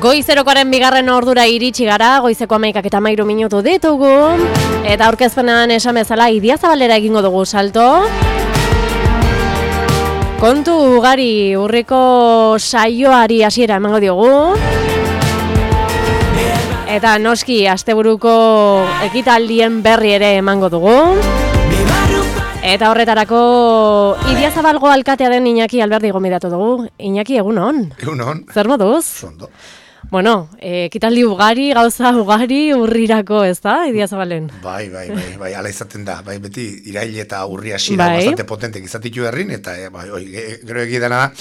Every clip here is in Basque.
Goizerokoaren bigarren ordura iritsi gara, goizeko 11:13 ditugu, eta aurkezpenean esan bezala Idiazabalera egingo dugu salto. Kontu ugari urriko saioari hasiera emango diogu. Eta noski asteburuko ekitaldien berri ere emango dugu. Eta horretarako Idiazabalgo alkatea den Iñaki Alberdi gonbidatu dugu. Iñaki, egunon. Egunon. Zer moduz? Zondo. Bueno, ekitaldi ugari, gauza ugari urrirako, ez da, Idiazabalen? Bai, ala izaten da. Bai, beti irail eta urri hasiera bastante potentek izatitu herrin, eta gero egidana da,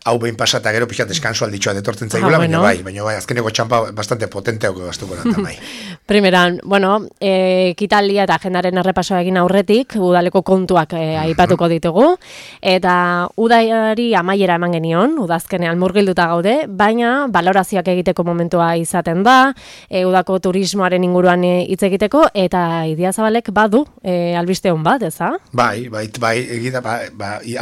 hau behin pasata gero pixat deskanso alditxoa detortzen zaigula, baina bai, azkeneko txampa bastante potenteoko gaztuko da, bai. Primeran, bueno, ekitaldia eta agendaren errepasoa egin aurretik, udaleko kontuak aipatuko ditugu, eta udari amaiera eman genion, udazkenean murgilduta gaude, baina balorazioak egiteko momentua izaten da, udako turismoaren inguruan hitz egiteko, eta Idiazabalek badu albiste hon bat, eza? Bai, egida,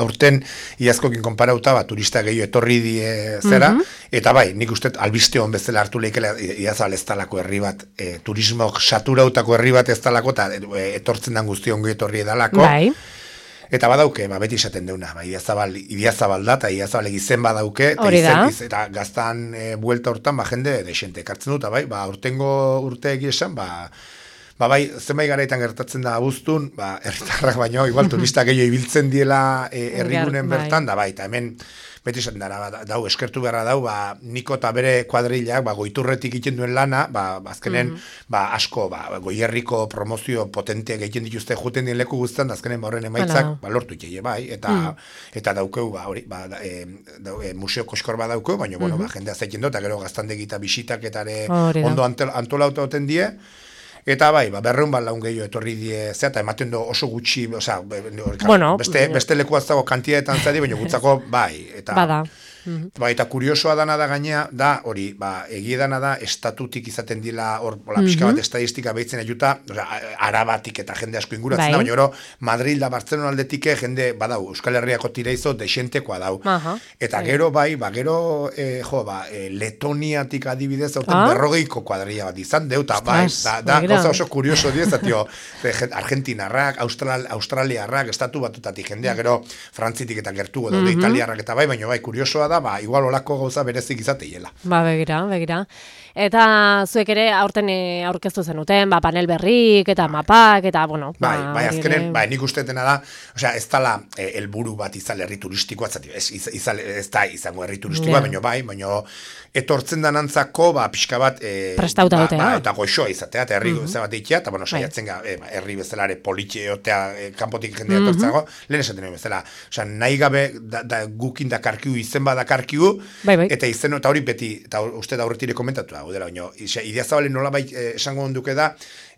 aurten iazkokin konparauta, turista gehiago etorri die zera, eta bai, nik uste albiste hon bezala hartu lehikela Idiazabal ez talako herri bat, turismok saturautako herri bat ez talako, eta etortzen den guzti ongi etorri edalako. Bai. Eta badauke, beti esaten deuna, Idiazabal da, eta Idiazabalek izen badauke, eta gaztan buelta hortan, jende desente ekartzen dut, bai, urtengo urteegi esan, bai, zenbait garaitan gertatzen da abuztun, herritarrak baino, igual turista gehiago ibiltzen diela herrigunen bertan, da bai, eta hemen beti esaten dara, dau, eskertu beharra dau, Niko eta bere kuadrilak, goiturretik egiten duen lana, azkenen, asko, goierriko promozio potenteak egiten dituzte juten dien leku guztan, azkenen horren emaitzak, lortu itxeie, bai, eta daukeu, museo koskor bat daukeu, baina, jendea zaiten dut, eta gero gaztandegi eta bisitak eta ondo antolauta oten die. Eta bai, berreun laun gehiago etorri die, eta ematen du oso gutxi, beste leku aztago kantietan zadi, baina gutzako bai. Bada. Eta kuriosoa dana da gainea, da hori, egiedana da, estatutik izaten dila, pixka bat estadistika behitzen ajuta, arabatik eta jende asko inguratzen da, baina gero, Madrid da Barcelona aldetik jende, badau, Euskal Herriako tireizo desentekoa dau. Eta gero, Letoniatik adibidez, aurten 40 kuadrilla bat izan, deuta, da, gauza oso kurioso diez, Argentinarrak, Australiarrak, estatu batutatik jendea, gero, Frantzitik eta gertugo daude, Italiarrak eta baina kuriosoa da, igual olako gauza berezik izateiela. Begira. Eta zuek ere aurten aurkeztu zenuten, panel berrik eta mapak, eta, bueno... Azkenen, nik ustetena da, ez dala helburu bat izan herri turistikoa, ez da izango herri turistikoa, baina etortzen danantzako, pixka bat... Prestauta dutea. Eta goxoa izatea, eta herri bat ikia, eta, saiatzen herri bezalare politxeotea, kanpotik jendea etortzago, lehen esaten bezala, nahi gabe gukin dakarkiu izen badakarkiu, eta izen, eta hori beti, eta uste da horretire komentatu, Idiazabalen nolabait esango onduke da,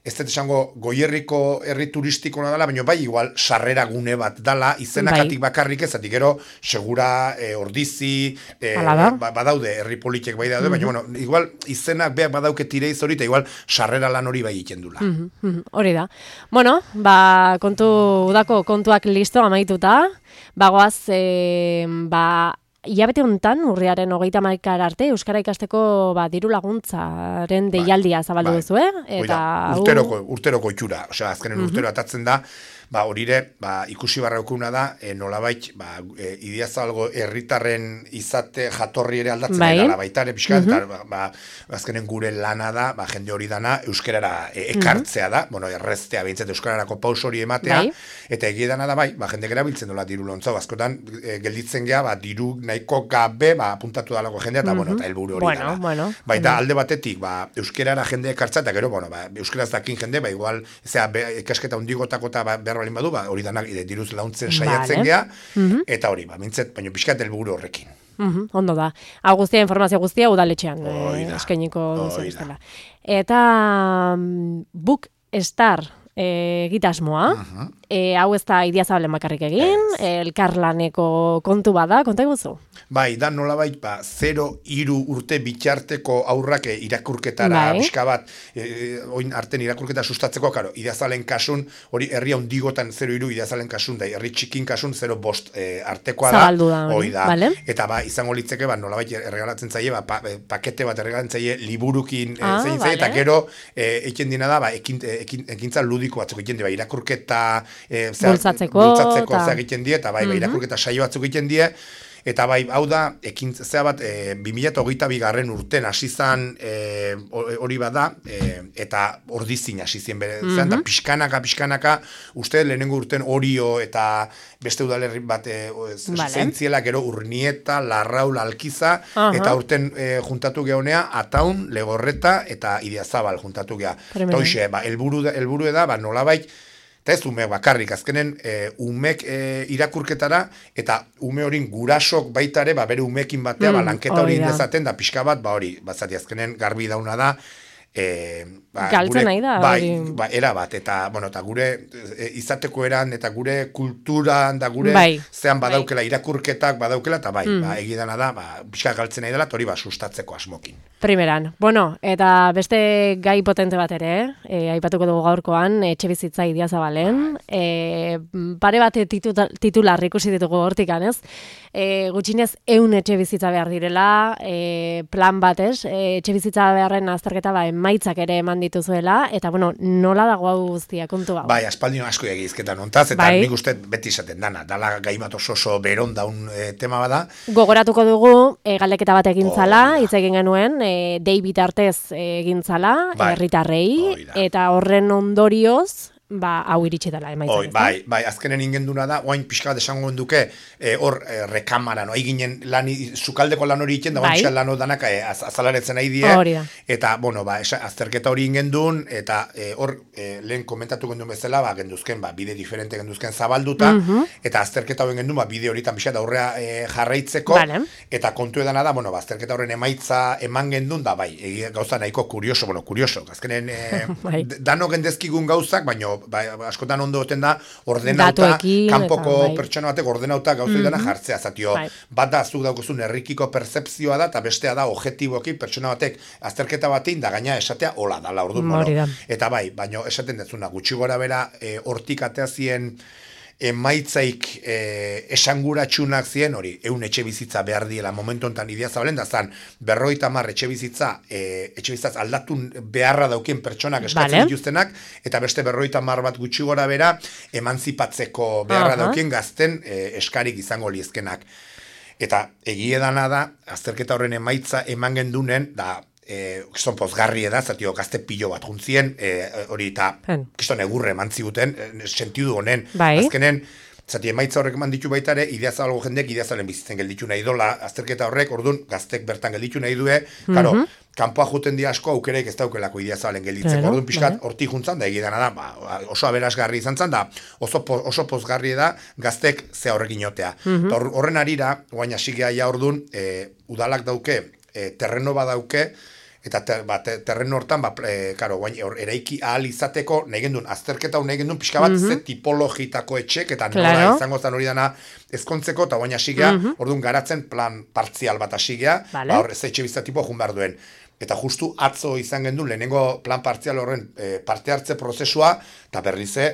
ez dut esango goierriko herri turistikoa dela, baina igual sarrera gune bat dala, izenakatik bakarrik ezatik, gero segura ordizi, badaude herri politek bai daude, baina igual izenak beak badauke tireiz hori, eta igual sarrera lan hori bai egiten dula. Hori da. Bueno, udako kontuak listo amaituta, bagoaz, hilabete honetan, urriaren 30 arte, Euskara ikasteko diru laguntzaren deialdia zabaldu duzu, urteroko itxura, azkenen urtero atatzen da, horire, ikusi barraukuna da, nolabait, Idiazabalgo herritarren izate jatorri ere aldatzen dela, baita ere pixka, eta azkenen gure lana da, jende hori dana, euskarara ekartzea da, erreztea behintzat euskararako paus hori ematea, eta egiedana da, jende gara biltzen dola diru lontzau, askotan gelditzen geha, diru nahiko gabe, apuntatu dalako jendea, eta helburu hori dela. Baita alde batetik, euskarara jende ekartzea, eta gero, euskaraz dakin jende, igual, ikasketa hundigotako eta balin badu, hori danak diruz launtzen saiatzen geha, eta hori, mintzet, baina pixkat helburu horrekin. Ondo da. Hau guztia, informazio guztia, udaletxean eskainiko duzu bestela. Eta Book Star egitasmoa, hau ez da Idiazabalen bakarrik egin, elkarlaneko kontu bada, konta iguzu? Bai, da nolabait, 0-3 urte bitxarteko aurrak irakurketara pixka bat, oin arten irakurketa sustatzeko, karo, Idiazabalen kasun, hori herri handigotan 0-3, Idiazabalen kasun da, herri txikin kasun 0-5 artekoa da. Zabaldu da, hori da. Vale. Eta izango litzeke, nolabait erregalatzen zaie, pakete bat erregalatzen zaie liburukin zein zaie, eta gero egiten dina da, ekintza ludiko batzuk egiten die, irakurketa bultzatzeko egiten die, eta irakurketa saio batzuk egiten die, eta hau da, zea bat, 2022 urten hasi zan hori bada, eta ordizin hasi zien bere, da pixkanaka, uste lehenengo urten Orio eta beste udalerri bat zeintziela, gero Urnieta, Larraul, Alkiza, eta urten juntatu gehonea, Ataun, Legorreta eta Idiazabal juntatu gea. Eta hoxe, helburu da, nolabait, eta ez umeek bakarrik, azkenen umek irakurketara, eta ume horin gurasok baitare, bere umekin batea, lanketa hori indezaten, da pixka bat, hori, bazati azkenen garbi dauna da, galtzen nahi da. Era bat, eta gure izateko eran, eta gure kulturan, da gure zean badaukela irakurketak, badaukela, eta egidana da, pixka galtzen nahi dela, eta hori sustatzeko asmokin. Primeran. Bueno, eta beste gai potente bat ere, aipatuko dugu gaurkoan, etxe bizitza Idiazabalen, pare bat titular ikusi ditugu hortikan, ez? Gutxinez 100 etxe bizitza behar direla, plan bat, ez? Etxe bizitza beharren azterketa emaitzak ere eman dituzuela, eta nola dago hau guztia, kontu hau? Bai, aspaldino asko egizketan ontaz, eta nik uste beti izaten dala gaimat oso beron daun tema bada. Gogoratuko dugu, galdeketa bat egin zala, hitz egin genuen, David Artez egin zala, herritarrei, eta horren ondorioz, hau iritsi dela emaitzak. Bai, azkenen ingenduna da, oain pixka bat esango genduke, hor rekamara, eginen sukaldeko lan hori egiten, da oain lan danak azalaretzen nahi die, eta, azterketa hori ingendun, eta hor lehen komentatu gendun bezala, genduzken, bide diferente genduzken zabalduta, eta azterketa horren gendun, bide horitan pixka da aurrea jarraitzeko, eta kontu edana da, azterketa horren emaitza eman gendun, da gauza nahiko kurioso, azkenen dano gendezkigun gauzak, baina askotan ondo oten da ordenauta, kanpoko pertsona batek ordenauta gauzoi dena jartzea, zatio, bat da, zuk daukozun herrikiko percepzioa da, eta bestea da, objektiboki pertsona batek azterketa batein, da gaina esatea hola dala, orduan, eta baina esaten dezuna, gutxi gora bera, hortik ateazien emaitzaik esanguratsunak zien hori, 100 etxe bizitza behar diela momentu honetan Idiazabalen, da zan 50 etxe bizitzaz aldatun beharra daukien pertsonak eskatzen dituztenak, eta beste 50 bat gutxi gora bera emanzipatzeko beharra daukien gazten eskarik izango liezkenak. Eta egiedana da, azterketa horren emaitza eman gendunen, da kiston pozgarri da, zatio gazte pilo bat juntzien, hori eta kiston egurre eman ziguten, sentidu honen, azkenen, zati emaitza horrek eman ditu baita ere, Idiazabalgo jendeek Idiazabalen bizitzen gelditu nahi dola, azterketa horrek, orduan, gaztek bertan gelditu nahi due, karo, kanpoa juten di asko aukeraik ez daukelako Idiazabalen gelditzeko, orduan pixkat hortik juntzan, da egidana da, oso aberasgarri izan zan, da oso pozgarri da gaztek ze horrekin jotea. Horren arira, guain hasigea ja orduan, udalak dauke, terreno badauke, eta terreno hortan, eraiki ahal izateko, nahi gendun, azterketa hau nahi gendun, pixka bat ze tipologitako etxek, eta nola izango zan hori dana ezkontzeko, eta guain hasigea, orduan garatzen plan partzial bat hasigea, hor ez etxe bizta tipo jun behar duen. Eta justu atzo izan gendun, lehenengo plan partzial horren parte hartze prozesua, eta berrize,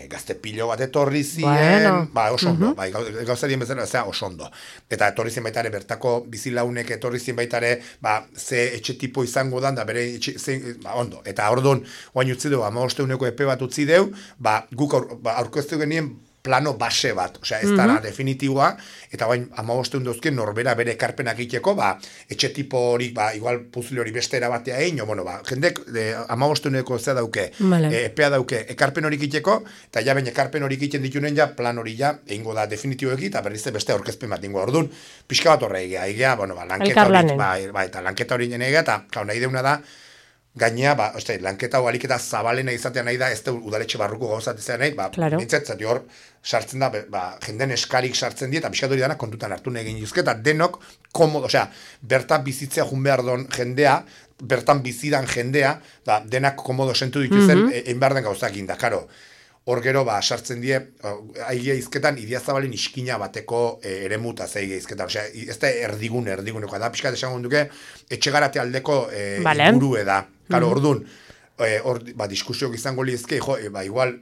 gazte pilo bat etorri ziren, oso ondo, gauzarien bezala, oso ondo. Eta etorri zien baitare, bertako bizilaunek etorri zien baitare, ze etxe tipo izango dan, da bere etxe, ondo. Eta orduan, oain utzi dugu, 15 epe bat utzi dugu, guk aurkeztu genien, plano base bat, osea, ez dara definitiboa, eta bain, 15 duzken norbera bere ekarpenak egiteko, etxe tipo hori, igual puzle hori beste erabatea egin, jendek 15 zea dauke, epea dauke, ekarpen hori egiteko, eta ja bain ekarpen hori egiten ditunen ja, plan hori ja, egingo da definitiboeki, eta berriz beste aurkezpen bat ingo. Orduan, pixka bat horre egea, lanketa hori nene egea, eta nahi deuna da, gainea, lanketa hau aliketa zabalena izatea nahi da, ez da udaletxe barruko gauzat izan nahi, nintzat, zati hor, sartzen da, jenden eskarik sartzen die, eta pixkat hori dana kontutan hartu nahi egin juzke, eta denok, komodo, bertan bizitzea jun behar don jendea, bertan bizidan jendea, denak komodo sentu dituzen, egin behar den gauzak inda, karo. hor gero, sartzen die, aigia izketan, Idiazabalen iskina bateko eremuta aigia izketan. Osea, ez da erdiguneko. Da, pixkat esango duke, etxegarate aldeko ingurue da. Karo, ordun, diskusiok izango lizke, igual...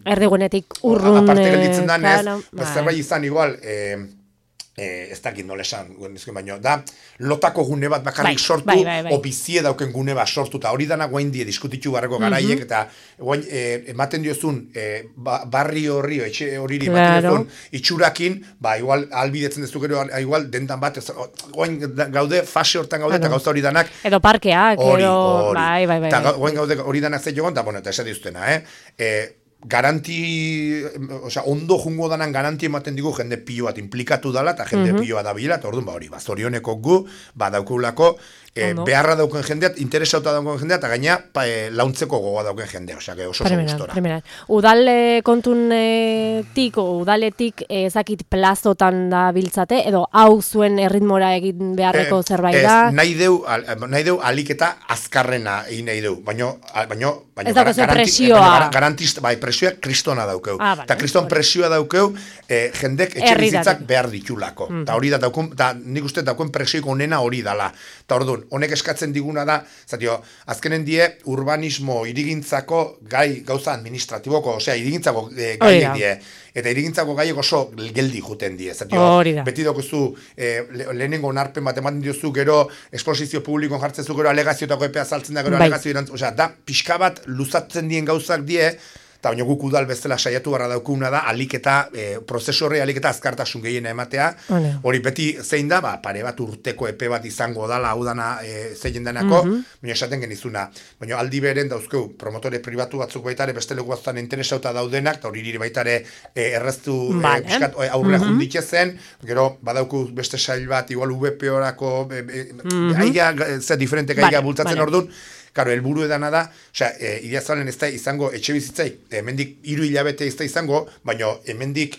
erdigunetik urrun... Aparte gelditzen danez, zerbait izan igual... ez dakit nola esan, baina da lotako gune bat bakarrik sortu, o bizie dauken gune bat sortu, eta hori dana guain die diskutitu barreko garaiek, eta guain ematen diozun barri horri, etxe horiri ematen diozun itxurakin, igual albidetzen dezu gero, igual dendan bat, guain gaude, fase hortan gaude, eta gauza hori danak... Edo parkeak, edo... Eta guain gaude hori danak zei jogon, eta esan diuztena, ondo jungo danan garanti ematen digu jende pilo bat implikatu dala, eta jende pilo bat dabila, eta orduan hori, zorioneko gu, daukulako, beharra dauken jendeat, interesauta dauken jendeat, eta gaina launtzeko gogoa dauken jendea, oso gustora. Udal kontunetik, udaletik ezakit plazotan da biltzate, edo hau zuen erritmora egin beharreko zerbait da? Nahi deu aliketa azkarrena egin nahi deu, baina ez dago ze presioa. Garantista, presioa kristona daukeu. Eta kriston presioa daukeu, jendek etxe bizitzak behar ditulako. Eta hori da, nik uste daukuen presioiko onena hori dala. Eta orduan, honek eskatzen diguna da, azkenen die urbanismo irigintzako gai gauza administratiboko, osea, irigintzako gaiek die. Eta irigintzako gaiek oso geldi juten die. Beti daukuzu, lehenengo onarpen bat ematen diozu, gero esposizio publikoan jartzen zu, gero alegazioetako epea saltzen da, gero alegazio irantz, osea, da, pixka bat luzatzen dien gauzak die, eta baina guk udal bezala saiatu barra daukuna da, prozesu horri aliketa azkartasun gehiena ematea, hori beti zein da, pare bat urteko epe bat izango dala, hau dana zeien denako, baina esaten genizuna. Baina aldi beren dauzkeu, promotore pribatu batzuk baitare, beste leku batzan interesauta daudenak, eta hori nire baitare erreztu aurrera junditxe zen, gero badauku beste sail bat, igual VP-orako, diferentek aiga bultzatzen orduan, Karo, helburu edana da, Idiazabalen ez da izango etxe bizitzai, hemendik 3 hilabete ez da izango, baina hemendik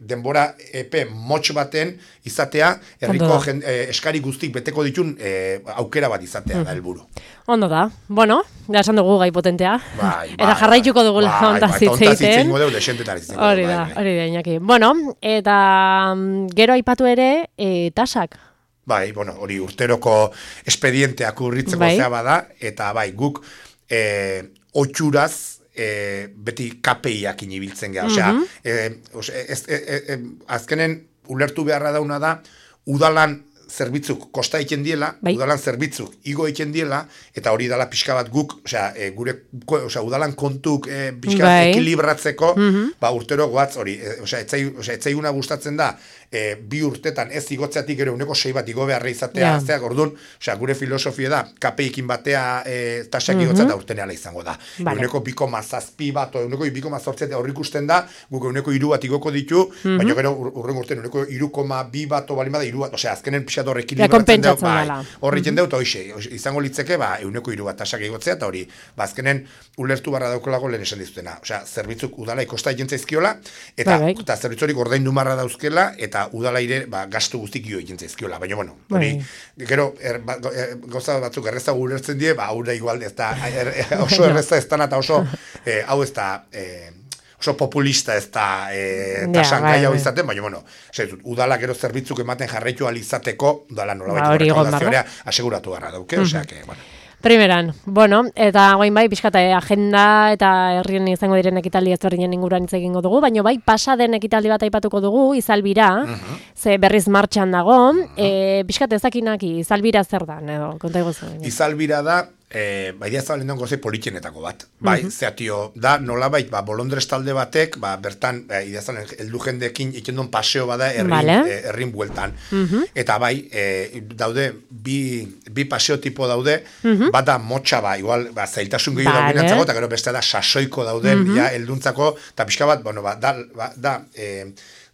denbora epe motx baten izatea, herriko eskari guztik beteko ditun aukera bat izatea da helburu. Ondo da, bueno, da esan dugu gai potentea, eta jarraituko dugu ontaz hitzeiten. Hori da, Iñaki. Bueno, eta gero aipatu ere, tasak. Hori urteroko espedienteak urritzeko zea bada, eta guk otxuraz beti KPIak inibiltzen geha. Azkenen ulertu beharra dauna da, udalan zerbitzuk kosta egiten diela, udalan zerbitzuk igo egiten diela, eta hori dala pixka bat guk, udalan kontuk pixka bat ekilibratzeko, urtero goatz hori, etzaiguna gustatzen da, 2 urtetan ez igotzeatik ere 6 bat igo beharra izatea, orduan, gure filosofia da, KPI-kin batea tasak igotzea da urteneala izango da. 2,7 bat, 2,8 hor ikusten da, guk 3 bat igoko ditu, baina gero urren urtean 3,2 bat balin bada 3 bat, azkenen pixat hor ekilibratzen dut, hor egiten dut, izango litzeke, 3 bat tasak igotzea, eta hori, azkenen ulertu barra daukolago lehen esan dizutena. Zerbitzu udala ikosta egiten zaizkiola, eta zerbitzorik ordaindu marra dauzkela, eta udala ire gastu guztik jo egin zaizkiola, baina hori, gero, gauza batzuk erreza ulertzen die, haura igual, oso erreza ez da, eta oso, hau ez da, oso populista ez da tasan gai hau izaten, baina, udala gero zerbitzuk ematen jarraitu alizateko, udala nolabait recaudazioa aseguratu garra dauke, Primeran, eta guain pixkata agenda eta herrien izango diren ekitaldi ezberdinen inguruan hitz egingo dugu, baina pasaden ekitaldi bat aipatuko dugu, Izalbira, ze berriz martxan dago, pixkata ezakinaki, Izalbira zer da, edo, konta egozu. Izalbira da, Idiazabalen dongo ze politxenetako bat. Zeatio, da nolabait, bolondrez talde batek, bertan, Idiazabalen heldu jendekin egiten duen paseo bada herrin bueltan. Eta daude, bi paseo tipo daude, bat da motxa igual, zailtasun gehiago dagoenentzako, eta gero beste da sasoiko dauden, helduntzako, eta pixka bat,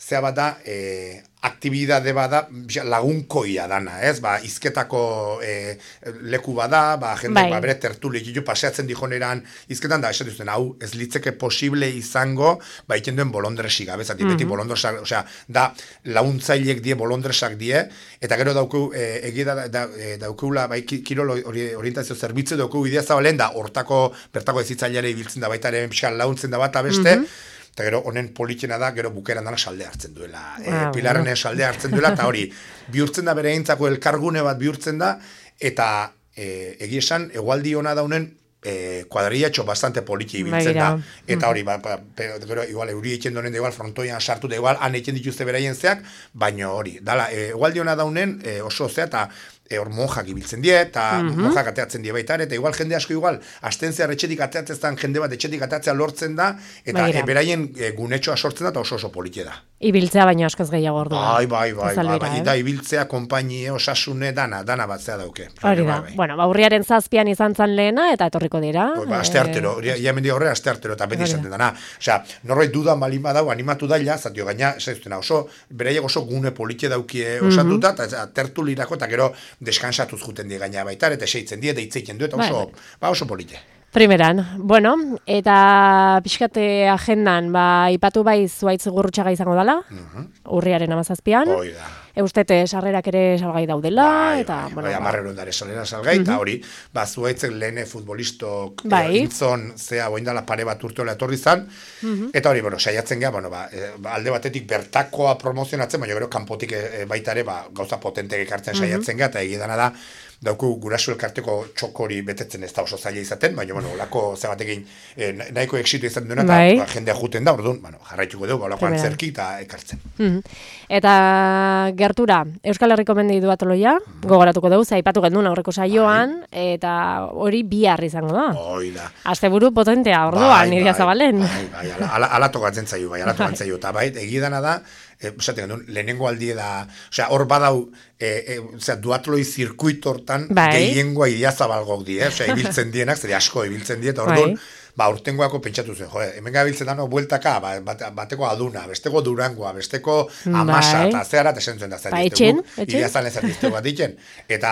zea bat da, aktibidade bada lagunkoia dana, ez? Izketako leku bada, jende bere tertulik paseatzen dijoneran izketan da, esan duzten, hau ez litzeke posible izango, egiten duen bolondresik, abezati, beti bolondresak, da, laguntzailek die bolondresak die, eta gero daukeu deula, bai, kirol orientazio zerbitzu dugu Idiazabalen, da hortako, bertako ezitzaileare ibiltzen da baita ere pixkan launtzen da bat beste, eta gero honen politxena da, gero bukeran dana salde hartzen duela. Pilarrenen salde hartzen duela, eta hori, bihurtzen da bere eintzako elkargune bat bihurtzen da, eta egia esan, egualdi hona daunen, kuadrillatxo bastante politi ibiltzen da. Eta hori, gero, igual, euri eitzen donen, igual, frontoian sartu da, igual, han eitzen dituzte beraien zeak, baina hori, dala, egualdi hona daunen, oso zea, eta hor monjak ibiltzen die, eta monjak ateatzen die baita, eta igual jende asko igual, astentzea etxetik ateatzen jende bat etxetik ateatzea lortzen da, eta beraien gunetxoa sortzen da, eta oso politie da. Ibiltzea baino askoz gehiago orduan. Bai, da ibiltzea, konpainie, osasune, dana batzea dauke. Hori da, bueno, urriaren 7 izan zan lehena, eta etorriko dira. Aste artero, ja mendia horre, aste artero, eta beti izaten dana. Osea, norbait dudan balin badau, animatu daila, zatio gaina, oso, beraiek oso gune politie daukie osatuta, eta tertulirako, eta gero deskansatuz juten die gaina baita, eta eseitzen die, deitzeiten du, eta oso polite. Primeran, bueno, eta pixkate agendan, ipatu bai Zuhaitz Gurrutxaga izango dela, urriaren 17an. Eustete sarrerak ere salgai daudela, eta... Bai, 10 ondare salera salgai, eta hori, Zuhaitzek lehene futbolistok intzon, zea, boindala pare bat urteola etorri zan, eta hori, saiatzen geha, alde batetik bertakoa promozionatzen, baina gero kanpotik baitare, gauza potentek ekartzen saiatzen geha, eta egidana da, dauku gurasu elkarteko txokori betetzen ez da oso zaila izaten, baina, olako zebatekin nahiko exitu izan duena, eta jendea juten da, orduan, jarraituko dugu, olako antzerki eta ekartzen. Eta gertura, Euskal Herriko mendi duatoloia, gogoratuko dugu, aipatu gendun aurreko saioan, eta hori bihar izango da. Asteburu potentea, orduan, Idiazabalen. Ala tokatzen zaio, eta egidana da, lehenengo aldie da, hor badau, duatloi zirkuito hortan, gehiengoa Idiazabalgok die, ibiltzen dienak, zer asko ibiltzen die, eta orduan, urtengoako pentsatu zen, hemen gabiltzen dano, bueltaka, bateko aduna, besteko durangoa, besteko amasa, eta zeharat esen zuen da, Idiazan ez erdiztegu bat ditzen, eta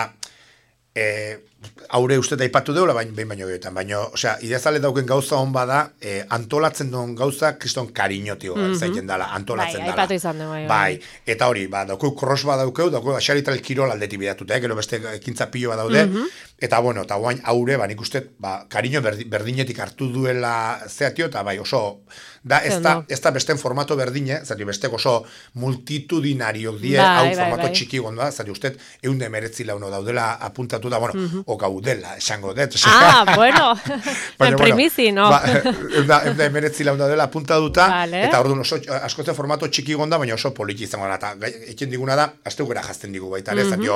haure uste da ipatu deula, behin baino gehiagoetan, baina, Idiazale dauken gauza hon bada, antolatzen duen gauza, kriston kariñotio zaiten dala, antolatzen dala. Aipatu izan dugu. Bai, eta hori, daukeu cross bat daukeu, xarital kirol aldetik bidatuta, gero beste ekintza pilo bat daude, eta bueno, eta guain haure, nik uste, kariño berdinetik hartu duela zeatio, eta bai, oso, ez da besten formato berdine, zati bestek oso multitudinariok die, hau formato txiki gondoa, zati uste, 119 launo daudela apuntatu da, bueno, o gaudela, esango dut. Bueno, en primizi, no? 119 launo daudela apuntatuta, eta orduan oso, askozen formato txiki gonda, baina oso politi izango da, eta eken diguna da, azte gura jazten digu baita, zati,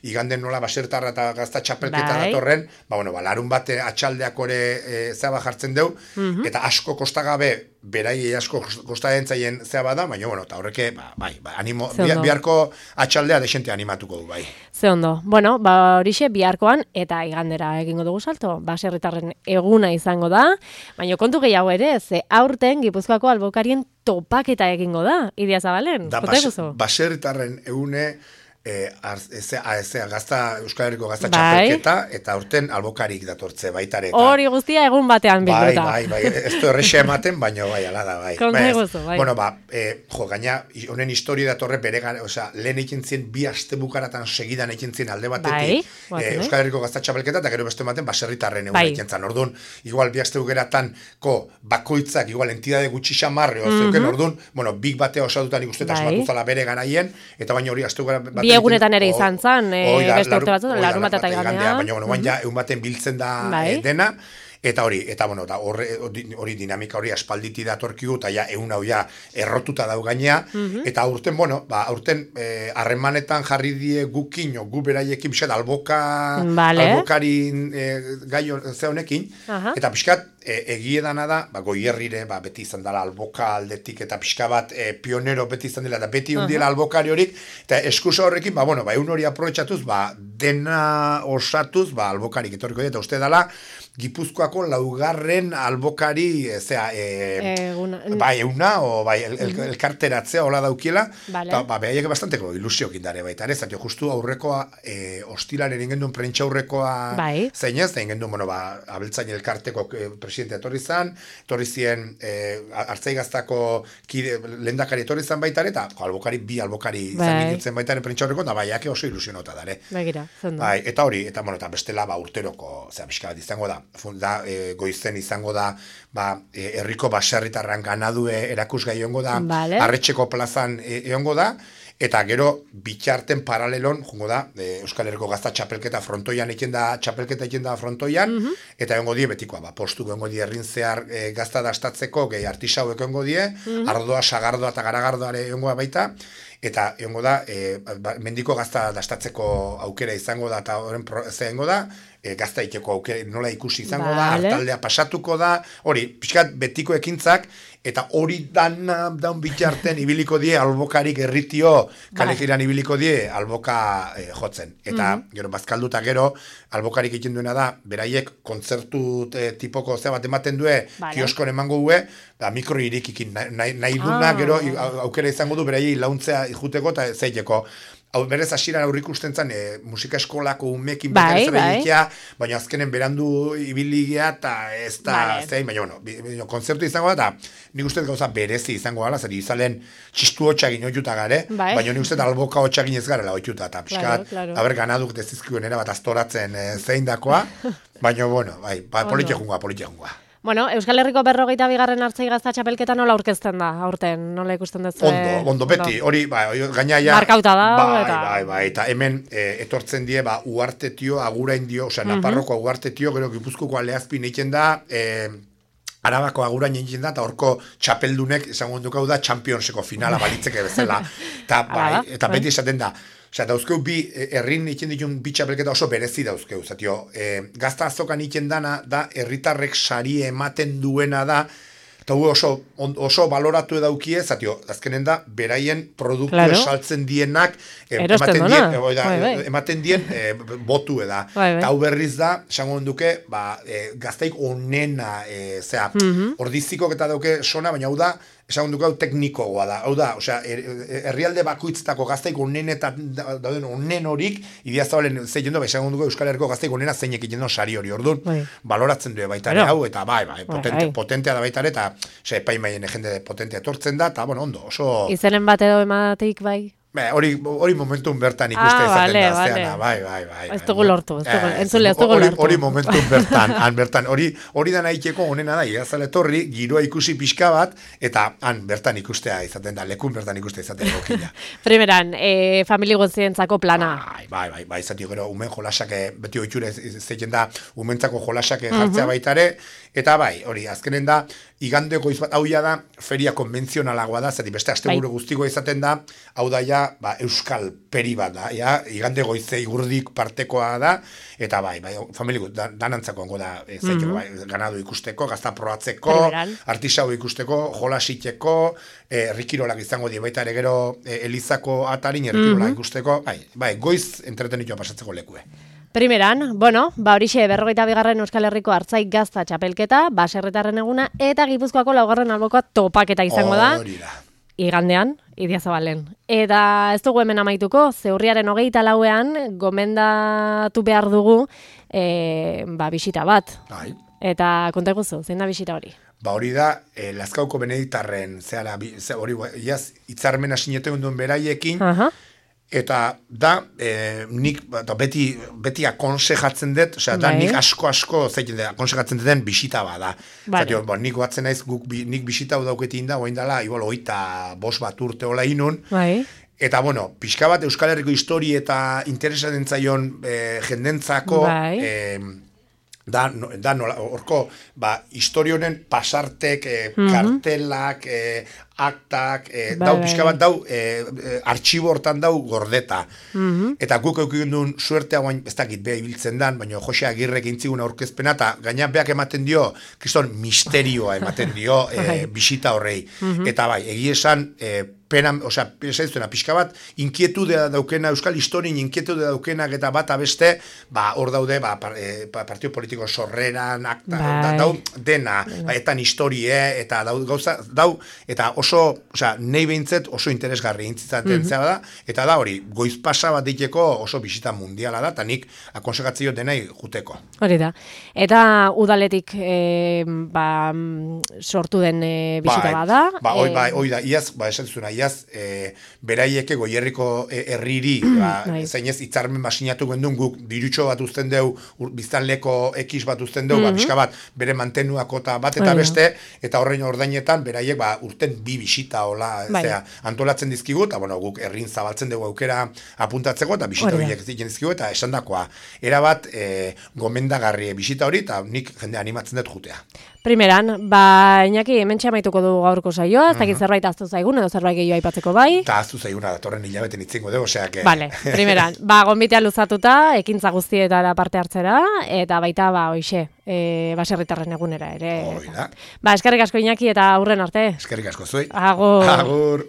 iganden nola basertarra eta gazta txapelketa datorren, larun bate atxaldeak ore zeba jartzen deu, eta asko kostagabe, berai asko kostadentzaien zea bada, baina, eta horreke, biharko atxaldea desente animatuko du, bai. Ze ondo. Bueno, horixe biharkoan, eta igandera egingo dugu salto, baserritarren eguna izango da, baina kontu gehiago ere, ze aurten Gipuzkoako albokarien topaketa egingo da, Idiazabalen. Da, baserritarren egune, Euskal Herriko gazta txapelketa, eta urten albokarik datortze baitare. Hori guztia egun batean bilduta. Bai, ez du errexe ematen, baina ala da, bai. Konta eguzu, bai. Bueno, gaina, honen historia datorre bere gara, lehen eiken zien, bi aste bukaratan segidan eiken zien alde batetik, Euskal Herriko gazta txapelketa, eta gero beste ematen, baserritarren egun eiken zan. Orduan, igual bi aste bukeratan, bakoitzak, igual entidade gutxi xamarre, orduan, big batea osatutan ikusten asmatuzala bere garaien, eta baina hori aste bi egunetan ere izan zan, beste urte batzut, larun bat eta igandea. Baina, ja, egun baten biltzen da dena, eta hori dinamika hori aspalditi datorkigu, eta ja, egun hau ja errotuta dau gainea, eta aurten, aurten harremanetan jarri die gukin, gu beraiekin, pixat, albokarin gai ze honekin, eta pixkat, egiedana da, goierrire, beti izan dela alboka aldetik, eta pixka bat pionero beti izan dela, eta beti undiela albokari horik, eta eskusa horrekin, egun hori aprobetxatuz, dena osatuz, albokarik etorriko dira, eta uste dela, Gipuzkoako laugarren albokari, bai, euna, o bai, elkarteratzea hola daukiela, eta behaiek bastanteko ilusiokin dare baita, ere, zatio, justu aurrekoa, hostilaren ingendun prentsa aurrekoa zeinez, da ingendun, bueno, abeltzain elkarteko presidente etorri zien, Artzaigaztako lehendakari etorri zan baita, eta bi albokari izan ginitzen baita prentsa aurreko, eta baiak oso ilusionota dare. Begira, zendu. Bai, eta hori, eta bestela, urteroko, pixka bat izango da, goizen izango da, herriko baserritarran ganadue erakusgai egongo da, Arretxeko plazan egongo da, eta gero bitxarten paralelon, jungo da, Euskal Herriko gazta txapelketa frontoian txapelketa egin da frontoian, eta egongo die betikoa, postu egongo die errin zehar gazta dastatzeko, gehi artisauek egongo die, ardoa, sagardoa eta garagardoare egongoa baita, eta egongo da, mendiko gazta dastatzeko aukera izango da, eta horren egongo da, gazta iteko aukera nola ikusi izango da, hartaldea pasatuko da, hori, pixkat betiko ekintzak, eta hori daun bitxarten ibiliko die albokarik erritio, kalegiran ibiliko die alboka jotzen. Eta gero bazkalduta gero, albokarik egin duena da, beraiek kontzertu tipoko bat ematen due, kioskon emango due, mikro irikikin nahi duna, gero aukera izango du beraiei launtzea ikuteko eta zeiteko. Hau berez hasieran aurrik usten zen musika eskolako umekin baina azkenen berandu ibiligea eta ez da zein, baina konzertu izango da, eta nik uste gauza berezi izango gala, zer izalen txistu hotxagin oituta gare, baina nik uste alboka hotxagin ez garela oituta, eta pixkat, haber ganaduk dezizkuen bat astoratzen zein dakoa, baina, bueno, politia jungoa. Bueno, Euskal Herriko 42. Artzaigazta txapelketa nola aurkezten da, aurten, nola ikusten duzu? Ondo, beti, hori, gainaia... Markauta da, eta hemen etortzen die, uartetio, agurain dio, osea, Naparroko uartetio, gero Gipuzkoko Aleazpin egiten da, Arabako agurain egiten da, eta horko txapeldunek, esango dukau da, Championseko finala balitzeke bezala, eta beti esaten da, osea, dauzkeu bi herrin egiten ditun bi txapelketa oso berezi dauzkeu, zatio, gazta azokan egiten dana, da, herritarrek sari ematen duena da, eta oso baloratu edaukie, zatio, azkenen da, beraien produktu esaltzen dienak, ematen dien botu eda. Eta hau berriz da, esango duke, gaztaik onena, ordizikok eta dauke sona, baina hau da, esan dugu hau teknikoa da. Hau da, osea, herrialde bakoitztako gaztaik onen eta dauden onen horik, Idiazabalen zein du, esan dugu Euskal Herriko gaztaik onena zeinek egiten sari hori, orduan, baloratzen du baitare hau, eta potentea da baitare, eta epaimaien jende potentea etortzen da, eta, bueno, ondo, oso... Izenen bat edo emateik bai? Hori momentun bertan ikuste izaten da, zeana, bai. Ez dugu lortu, entzule, ez dugu lortu. Hori momentun bertan, hori da nahiteko onena da, Idiazabal etorri, giroa ikusi pixka bat, eta bertan ikustea izaten da, lekun bertan ikustea izaten gokila. Primeran, famili guztientzako plana. Bai, zatio gero, umen jolasak, beti oitxure zeiten da, umentzako jolasak jartzea baitare, eta bai, hori, azkenen da, igandeko izbat, hau da, feria konbentzionalagoa da, zati beste asteburu guztiko izaten da, hau da ja, euskal peri bat da, igande goize igurdik partekoa da, eta bai, familiko danantzako ongo da, ganadu ikusteko, gazta proatzeko, artisau ikusteko, jolasiteko, errikirolak izango die baita ere gero Elizako atarin errikirolak ikusteko, bai, goiz entretenitua pasatzeko lekue. Primeran, horixe 42. Euskal Herriko Artzaigazta txapelketa, baserritarren eguna, eta Gipuzkoako 4. albokoa topaketa izango da. Igandean, Idiazabalen. Eta ez dugu hemen amaituko, zeurriaren 24ean gomendatu behar dugu bisita bat. Eta konta guzu, zein da bisita hori? Hori da, Lazkauko Beneditarren, hori hitzarmena sineten duen beraiekin, eta da, nik beti akonsejatzen dut, osea, da nik asko zeiten dut, akonsejatzen duten bisita bada. Zatio, nik batzen naiz, nik bisita hau dauketin da, oain dela, igual, 25 bat urte hola inun, eta, bueno, pixka bat Euskal Herriko histori eta interesatzen zaion jendentzako, da, horko, historionen pasartek, kartelak, aktak, dau pixka bat dau, artxibo hortan dau gordeta. Eta guk eukin duen suertea guain, ez dakit beha ibiltzen dan, baina Jose Agirrek intzigun aurkezpena, eta gaina beak ematen dio, kriston misterioa ematen dio bisita horrei. Eta bai, egia esan, pena, osea, pixka bat, inkietude daukena, euskal historien inkietude daukenak eta bat abeste, hor daude, partio politiko sorreran, akta, dau, dena, etan historie, eta dau, eta oso, osea, nahi behintzet oso interesgarri intzitzen da, eta da hori, goiz pasa bat diteko oso bisita mundiala da, eta nik akonsegatzio denai juteko. Hori da. Eta udaletik sortu den bisita bada. Hoi da, iaz, esan zuzuna, iaz, beraieke Goierriko herriri, zainez hitzarmen basinatu gendun guk dirutxo bat uzten deu, biztanleko ekiz bat uzten deu, pixka bat, bere mantenuako eta bat eta beste, eta horrein ordainetan, beraiek urten 2 bisita hola, antolatzen dizkigu, eta guk herrin zabaltzen dugu aukera apuntatzeko, eta bisita horiek ziken dizkigu, eta esan dakoa, erabat gomendagarri bisita hori, eta nik jende animatzen dut jutea. Primeran, Iñaki, hementxe amaituko du gaurko saioa, ez dakit zerbait aztu zaigun, edo zerbait gehiago aipatzeko bai? Eta aztu zaiguna, datorren hilabeten itzingo dugu, osea que... Vale, primeran, gonbitea luzatuta, ekintza guztietara parte hartzera, eta baita, hoixe, baserritarren egunera ere. Oida. Eskerrik asko Iñaki, eta aurren arte. Eskerrik asko zuei. Agur. Agur.